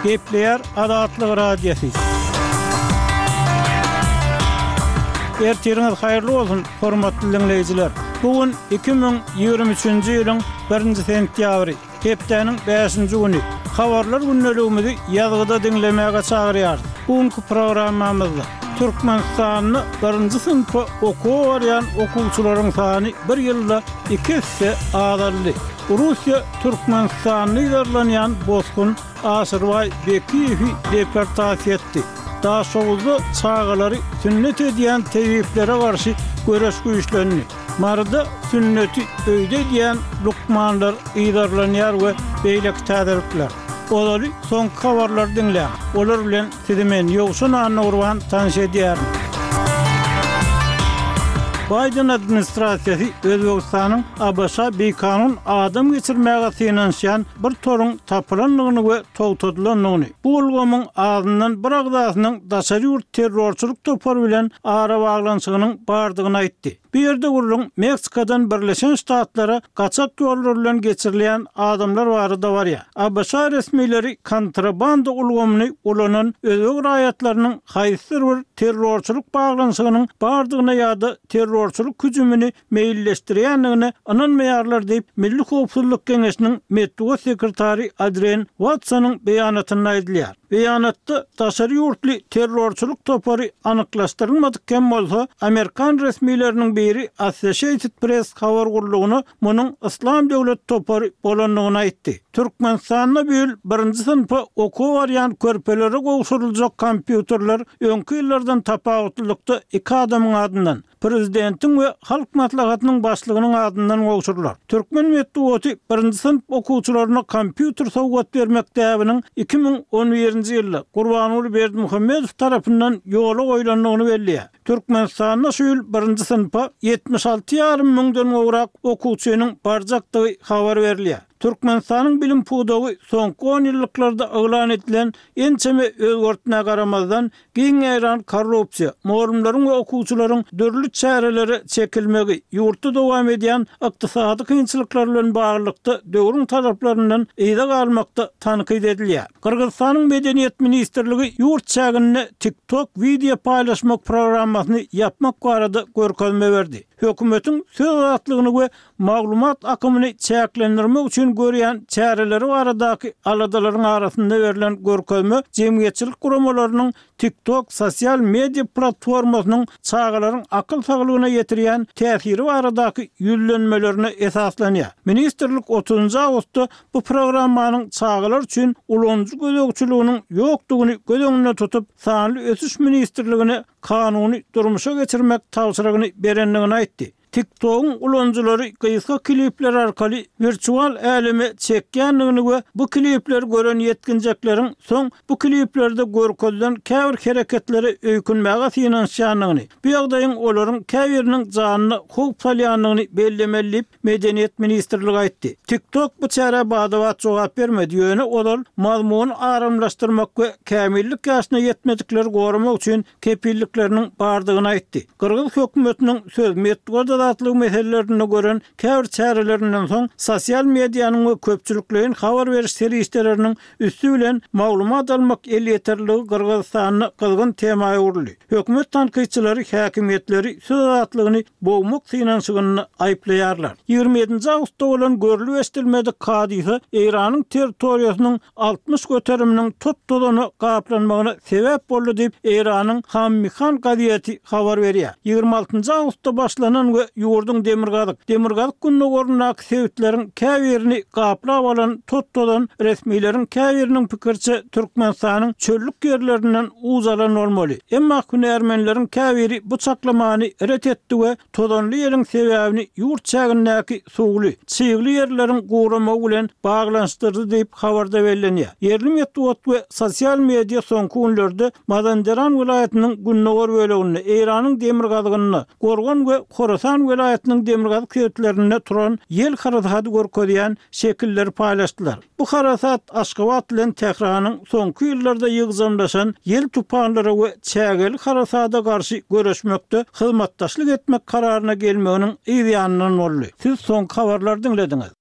Gepleýär Azatlyk Radiosy. Ertiriňiz haýyrly bolsun, hormatly diňleýjiler! Bu gün 2023-nji ýylyň birinji sentýabry, hepdäniň bäşinji güni. Habarlar gündeligimizi ýazgyda diňlemäge çagyrýarys. Bu günki programmamyzda Türkmenistanda birinji synpa okuwa barýan okuwçylaryň sany bir ýylda iki esse azaldy. Russiýa Türkmenistanda yzarlanýan bosgun Aşyrbaý Bekiýewi deportasiýa etdi. Daşoguzda çagalary sünnet edýän tebiplere garşy göreş güýçlendi. Maryda sünneti öýde edýän lukmanlar yzarlanýar we beýleki täzelikler. Ozaly soňky habarlary diňläň. Olar bilen Sizi men, Ýowşan Annagurban tanyş edýärin. Baýden administrasiýasy Özbegistanyň ABŞ-a bikanun adam geçirmäge synanyşýan bir toruň tapylandygyny we togtadylandygyny, bu ulgamyň azyndan bir agzasynyň daşary ýurt terrorçylyk topary bilen arabaglanyşygynyň bardygyny aýtdy. Bu ýerde gürrüň Meksikadan Birleşen Ştatlara gaçak ýollar bilen geçirilýän adamlar barada barýar. ABŞ resmileri kontrabanda ulgamyny ulanan özbek raýatlarynyň haýsydyr bir terrorçylyk baglanyşygynyň bardygyna ýa-da terrorçylyk hüjümini meýilleşdirýändigine ynanmaýarlar diýip, Milli howpsuzlyk geňeşiniň metbugat sekretary Adrian Watsonyň beýanatynda aýdylýar. Beýanatda daşary ýurtly terrorçylyk topary anyklaşdyrylmadyk hem bolsa, amerikan resmileriniň biri Associated Press habar gullugyna munuň Yslam döwleti topary bolandygyny aýtdy. Türkmenistanda bu ýyl birinji synpa okuwa barýan körpelere gowşuryljak kompýuterler öňki ýyllardan tapawutlylykda iki adamyň adyndan, Prezidentiň we Halk Maslahatynyň Başlygynyň adyndan gowşurylar. Türkmen metbugaty birinji synp okuwçylaryna kompýuter sowgat bermek däbiniň 2011-nji ýylda Gurbanguly Berdimuhamedow tarapyndan ýola goýlandygyny belleýär. Türkmenistanda şu ýyl birinji synpa 76 ýarym müňden gowrak okuwçynyň barjakdygy habar berilýär. Türkmenistanyň bilim pudagy soňky onýyllyklarda yglan edilen ençeme özgertmä garamazdan, Giň ýaýran korrupsiýa, mugallymlaryň we okuwçylaryň dürli çärelere çekilmegi, ýurtda dowam edýän ykdysady kynçylyklar bilen baglylykda döwrüň talaplaryndan yza galmakda tankyt edilýär. Gyrgyzystanyň Medeniýet ministrligi ýurt çäginde TikTok wideo paýlaşmak programmasyny ýapmak barada görkezme berdi. Hökümetiň söz azatlygyny we maglumat akymyny çäklendirmek üçin görýän çäreleri baradaky aladalaryň arasynda berlen görkezme jemgyýetçilik guramalarynyň TikTok sosial media platformasynyň çagalaryň akyl saglygyna ýetirýän täsiri baradaky ýüzlenmelerine esaslanýar. Ministrlik otuzynjy awgustda bu programmanyň çagalar üçin ulanyjy gözegçiliginiň ýokdugyny göz öňünde tutup, Sanly ösüş ministrligine kanuny durmuşa geçirmek tabşyrygyny berendigini aýtdy. TikTok-yň ulanyjylary gysga klipler arkaly wirtual äleme çekýändigini we bu klipleri gören ýetginjekleriň soň bu kliplerde görkezilen käbir hereketlere öýkünmäge synanyşýandygyny, bu ýagdaýyň olaryň käbiriniň janyna howp salýandygyny bellemeli diýip, Medeniýet ministrligi aýtdy. TikTok bu çärä bada-bat jogap bermedi, ýöne ozal mazmuny aramlaşdyrmak we kämillik ýaşyna ýetmedikleri goramak üçin kepillikleriniň bardygyny aýtdy. Gyrgyz hökümetiniň söz, metbugat azatlygy meselelerinde gören käbir çärelerinden soň, sosial medianyň we köpçülikleýin habar beriş serişdeleriniň üsti bilen maglumat almak elýeterliligi Gyrgyzystanda gyzgyn tema öwrüldi. Hökümet tankytçylary häkimiýetleri söz azatlygyny bogmak synanyşygynda aýyplaýarlar. 27-nji awgustda bolan görlüp-eşidilmedik hadysa Eýranyň territoriýasynyň 60 göteriminiň tot-tozana gaplanmagyna sebäp boldy diýip, Eýranyň Hammihan gazeti habar berýär. 26-njy awgustda başlanan we ýurduň demirgazyk, demirgazyk-gündogaryndaky sebitleriň käbirini gaplap alan tot-tozan resmileriň käbiriniň pikiriçe Türkmenistanyň çöllük ýerlerinden uç alan bolmaly. Emma hünärmenleriň käbiri bu çaklamany ret etdi we tozanly ýeliň sebäbini ýurt çägindäki suwly, çygly ýerleriň guramagy bilen baglanyşdyrdy diýip, habarda bellenýär. Ýerli metbugat we sosial media soňky günlerde Mazanderan welaýatynyň gündogar böleginde, Eýranyň demirgazygynda, Gorgan we Horasan welaýatynyň demirgazyk sebitlerinde turan ýel harasady görkezýän şekilleri paýlaşdylar. Bu harasat Aşgabat bilen Tähranyň soňky ýyllarda ýygjamlaşan ýel tupanlara we çägeli harasada garşy göreşmekde hyzmatdaşlyk etmek kararyna gelmeginiň yz ýanyndan boldy. Siz soňky habarlary diňlediňiz.